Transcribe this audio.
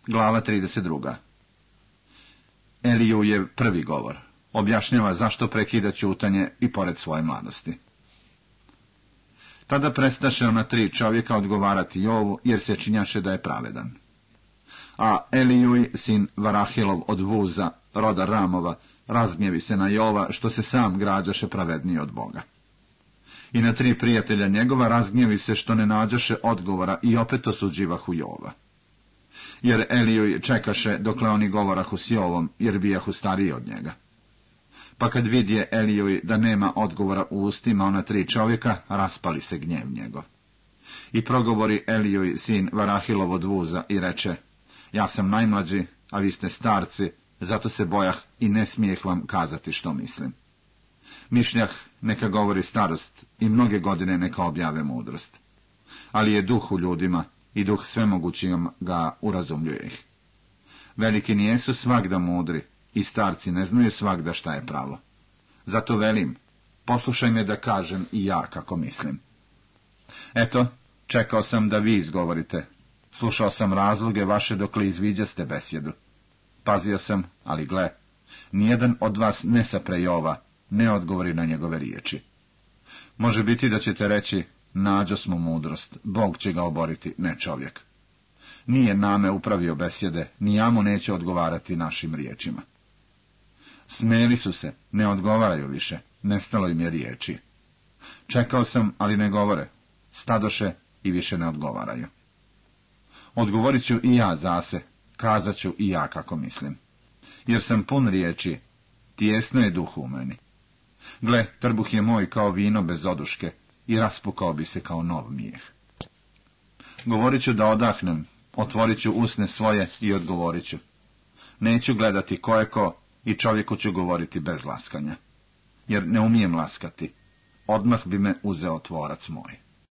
Glava 32. Eliju je prvi govor. Objašnjava zašto prekida ćutanje i pored svoje mladosti. Tada prestaše ona 3 čovjeka odgovarati Jovu, jer se činjaše da je pravedan. A Elijuj, sin Varahilov od Vuza, roda Ramova, razgnjevi se na Jova, što se sam građaše pravedniji od Boga. I na 3 prijatelja njegova razgnjevi se što ne nađaše odgovora i opet osuđivahu Jova. Jer Elijuj čekaše dokle oni govorahu s Jovom, jer bijahu stariji od njega. Pa kad vidje Elijuj da nema odgovora u ustima ona 3 čovjeka, raspali se gnjev njegov. I progovori Elijuj, sin Varahilov od Vuza, i reče: ja sam najmlađi, a vi ste starci, zato se bojah i ne smijeh vam kazati što mislim. Mišljah neka govori starost i mnoge godine neka objave mudrost. Ali je duh u ljudima i duh svemogućim ga urazumljuje ih. Veliki nijesu svagda mudri i starci ne znaju svagda šta je pravo. Zato velim, poslušaj me da kažem i ja kako mislim. Eto, čekao sam da vi izgovorite. Slušao sam razloge vaše dokle izviđaste besjedu. Pazio sam, ali gle, nijedan od vas ne sapre Jova, ne odgovori na njegove riječi. Može biti da ćete reći: nađo smo mudrost, Bog će ga oboriti, ne čovjek. Nije name upravio besjede, ni ja mu neće odgovarati našim riječima. Smeli su se, ne odgovaraju više, nestalo im je riječi. Čekao sam, ali ne govore, stadoše i više ne odgovaraju. Odgovorit ću i ja zase, kazat ću i ja kako mislim. Jer sam pun riječi, tijesno je duh u meni. Gle, trbuh je moj kao vino bez oduške i raspukao bi se kao nov mijeh. Govorit ću da odahnem, otvorit ću usne svoje i odgovorit ću. Neću gledati ko je ko i čovjeku ću govoriti bez laskanja. Jer ne umijem laskati, odmah bi me uzeo tvorac moj.